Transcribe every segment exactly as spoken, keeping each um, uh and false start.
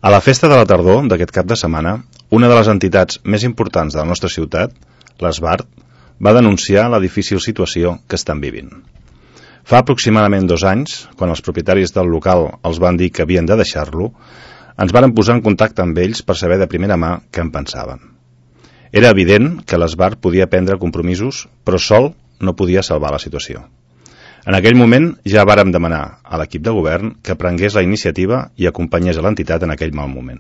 A la festa de la tardor d'aquest cap de setmana, una de les entitats més importants de la nostra ciutat, l'Esbart, va denunciar la difícil situació que estan vivint. Fa aproximadament dos anys, quan els propietaris del local els van dir que havien de deixar-lo, ens varen posar en contacte amb ells per saber de primera mà què en pensaven. Era evident que l'Esbart podia prendre compromisos, però sol no podia salvar la situació. En aquell moment ja vàrem demanar a l'equip de govern que prengués la iniciativa i acompanyés a l'entitat en aquell mal moment.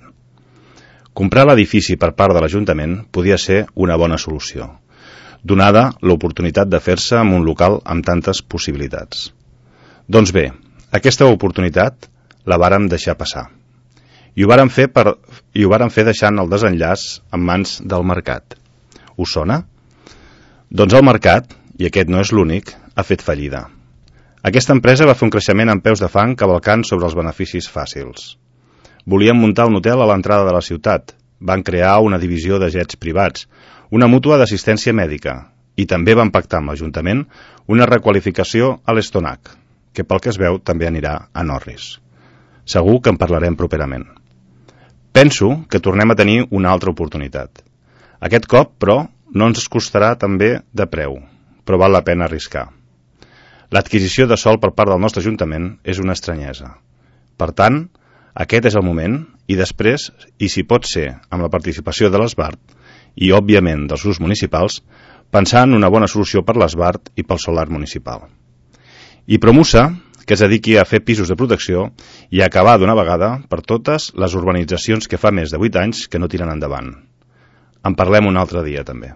Comprar l'edifici per part de l'Ajuntament podia ser una bona solució, donada l'oportunitat de fer-se amb un local amb tantes possibilitats. Doncs bé, aquesta oportunitat la vàrem deixar passar. I ho vàrem fer, per, i ho vàrem fer deixant el desenllaç en mans del mercat. Us sona? Doncs el mercat, i aquest no és l'únic, ha fet fallida. Aquesta empresa va fer un creixement amb peus de fang cavalcant sobre els beneficis fàcils. Volien muntar un hotel a l'entrada de la ciutat, van crear una divisió de jets privats, una mútua d'assistència mèdica, i també van pactar amb l'Ajuntament una requalificació a l'Estonac, que pel que es veu també anirà a Norris. Segur que en parlarem properament. Penso que tornem a tenir una altra oportunitat. Aquest cop, però, no ens costarà també de preu, però val la pena arriscar. L'adquisició de sòl per part del nostre Ajuntament és una estranyesa. Per tant, aquest és el moment, i després, i si pot ser amb la participació de l'Esbart i, òbviament, dels grups municipals, pensar en una bona solució per l'Esbart i pel solar municipal. I Promusa, que es dediqui a fer pisos de protecció i a acabar d'una vegada per totes les urbanitzacions que fa més de vuit anys que no tiren endavant. En parlem un altre dia, també.